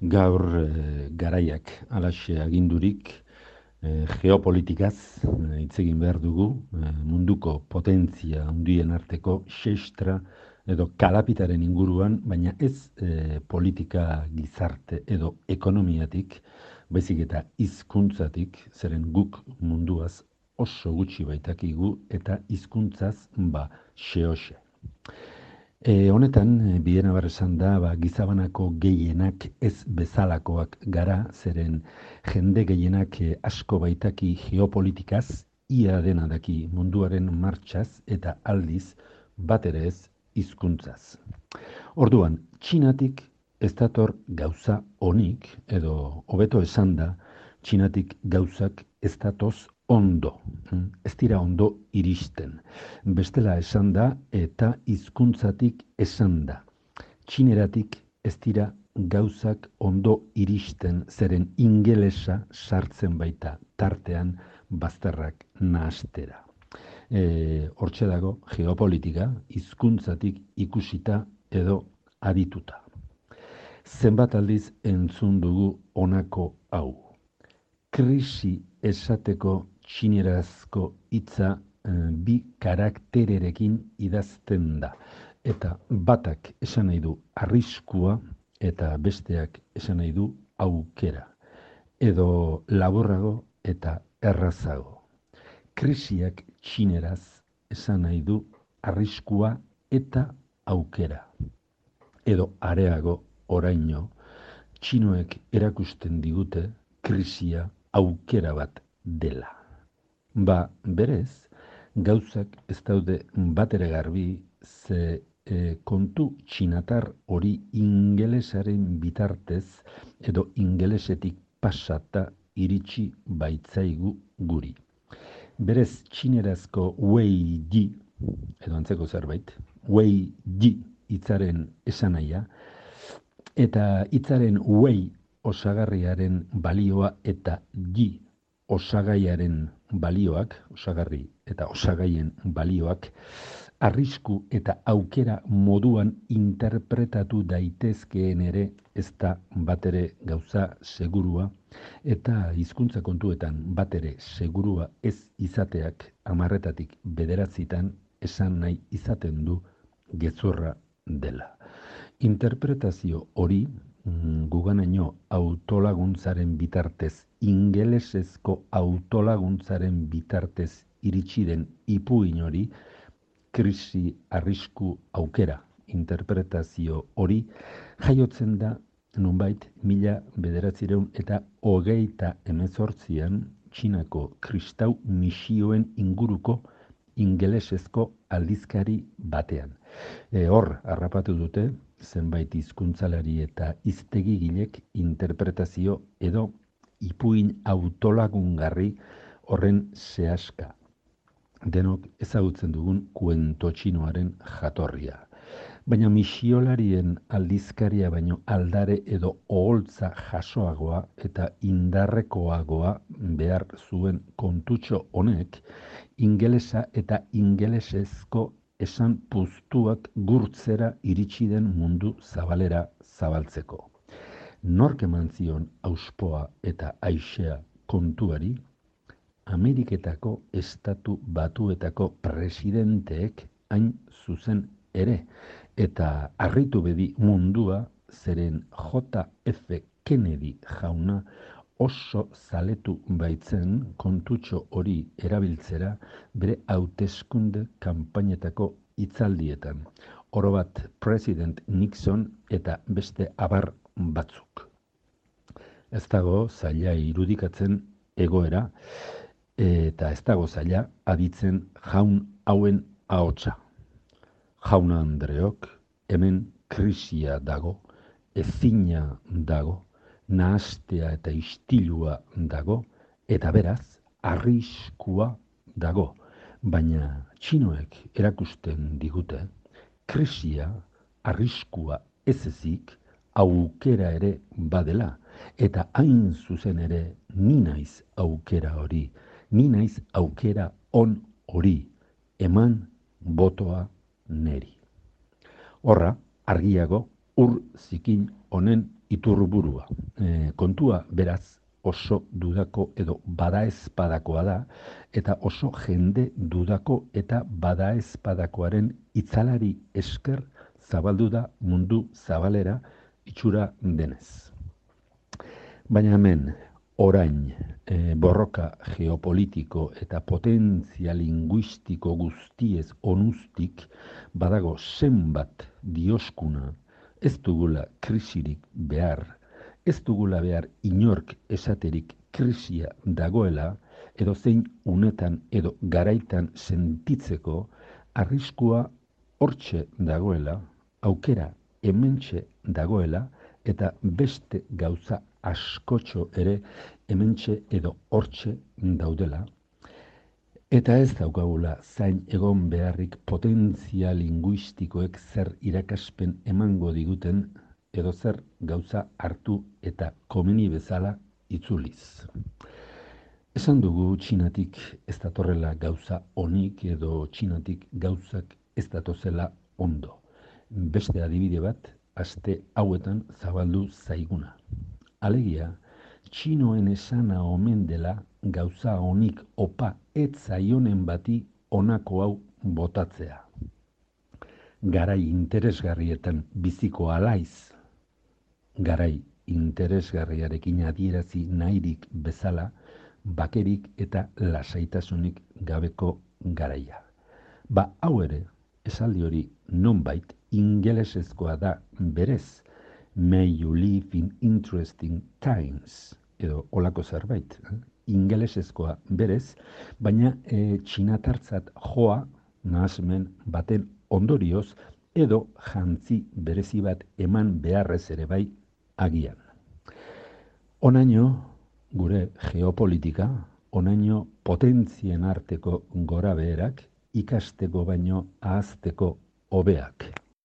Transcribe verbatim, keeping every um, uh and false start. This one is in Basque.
Gaur eh, garaiak halaxe agindurik eh, geopolitikaz eh, hitz egin behar dugu, eh, munduko potentzia handien arteko xextra edo kalapitaren inguruan, baina ez eh, politika gizarte edo ekonomiatik, baizik eta hizkuntzatik, zeren guk munduaz oso gutxi baitakigu eta hizkuntzaz ba xehoxe. E, honetan, e, biena bar esan da, ba, gizabanako gehienak ez bezalakoak gara, zeren jende gehienak e, asko baitaki geopolitikaz, ia dena daki munduaren martxaz eta aldiz bat ere ez hizkuntzaz. Orduan, Txinatik ez dator gauza onik, edo hobeto esan da, Txinatik gauzak ez datoz ondo, mm, ez dira ondo iristen. Bestela esan da eta hizkuntzatik esan da. Txineratik ez dira gauzak ondo iristen, zeren ingelesa sartzen baita tartean bazterrak nahastera. E, hortxe dago geopolitika hizkuntzatik ikusita edo adituta. Zenbat aldiz entzun dugu honako hau. Krisi esateko txinerazko hitza eh, bi karaktererekin idazten da. Eta batak esan nahi du arriskua eta besteak esan nahi du aukera. Edo laburrago eta errazago. Krisiak txineraz esan nahi du arriskua eta aukera. Edo areago oraino, txinoek erakusten digute krisia aukera bat dela. Ba, berez, gauzak ez daude batere garbi ze e, kontu txinatar hori ingelesaren bitartez edo ingelesetik pasata iritsi baitzaigu guri. Berez txinerazko wei ji, edo antzeko zerbait, wei ji hitzaren esanahia, eta hitzaren wei osagarriaren balioa eta ji osagaiaren balioak, osagarri eta osagaien balioak, arrisku eta aukera moduan interpretatu daitezkeen ere ez da batere gauza segurua, eta hizkuntza kontuetan batere segurua ez izateak hamarretatik bederatzitan esan nahi izaten du gezurra dela. Interpretazio hori guganaino autolaguntzaren bitartez, ingelesezko autolaguntzaren bitartez iritsi den ipuin hori, krisi arrisku aukera interpretazio hori jaiotzen da nonbait mila bederatziehun eta hogeita hemezortzian Txinako kristau misioen inguruko ingelesezko aldizkari batean. E, hor, harrapatu dute, zenbait hizkuntzalari eta hiztegigilek interpretazio edo ipuin autolagungarri horren sehaska. Denok ezagutzen dugun kuento txinoaren jatorria. Baina misiolarien aldizkaria baino aldare edo oholtza jasoagoa eta indarrekoagoa behar zuen kontutxo honek ingelesa eta ingelesezko esan puztuak gurtzera iritsi den mundu zabalera zabaltzeko. Nork eman zion auspoa eta aisea kontuari, Ameriketako estatu batuetako presidenteek hain zuzen ere, eta harritu bedi mundua zeren J F Kennedy jauna oso zaletu baitzen kontutxo hori erabiltzera bere hauteskunde kanpainetako hitzaldietan. Orobat President Nixon eta beste abar batzuk. Ez dago zaila irudikatzen egoera, eta ez dago zaila aditzen jaun hauen ahotsa. Jauna Andreok, hemen krisia dago, ezina dago, nahastea eta istilua dago, eta beraz, arriskua dago. Baina txinoek erakusten digute, krisia, arriskua ez ezik, aukera ere badela, eta hain zuzen ere ni naiz aukera hori, ni naiz aukera on hori, eman botoa neri. Horra, argiago ur zikin honen iturburua. E, kontua beraz oso dudako edo badaezpadakoa da, eta oso jende dudako eta badaezpadakoaren itzalari esker zabaldu da mundu zabalera itxura denez. Baina hemen, orain, e, borroka geopolitiko eta potentzia linguistiko guztiez onuztik badago zenbat dioskuna ez dugula krisirik behar, ez dugula behar inork esaterik krisia dagoela, edo zein unetan edo garaitan sentitzeko arriskua hortxe dagoela, aukera hementxe dagoela, eta beste gauza askotxo ere hementxe edo hortxe daudela, eta ez daukagula zain egon beharrik potentzia linguistikoek zer irakaspen emango diguten edo zer gauza hartu eta komeni bezala itzuliz. Esan dugu Txinatik ez datorrela gauza onik edo Txinatik gauzak ez datozela ondo. Beste adibide bat, aste hauetan zabaldu zaiguna. Alegia, txinoen esana omen dela gauza honik opa ez zaionen bati honako hau botatzea. Garai interesgarrietan biziko alaiz, garai interesgarriarekin adierazi nahirik bezala, bakerik eta lasaitasunik gabeko garaia. Ba hau ere, esaldi hori nonbait ingelesezkoa da berez, may you live in interesting times, edo olako zerbait, eh? Ingelesezkoa berez, baina e, txinatartzat joa nahasmen baten ondorioz, edo jantzi berezi bat eman beharrez ere bai agian. Onaino, gure geopolitika, onaino potentzien arteko gora beherak, ikasteko baino ahazteko hobeak.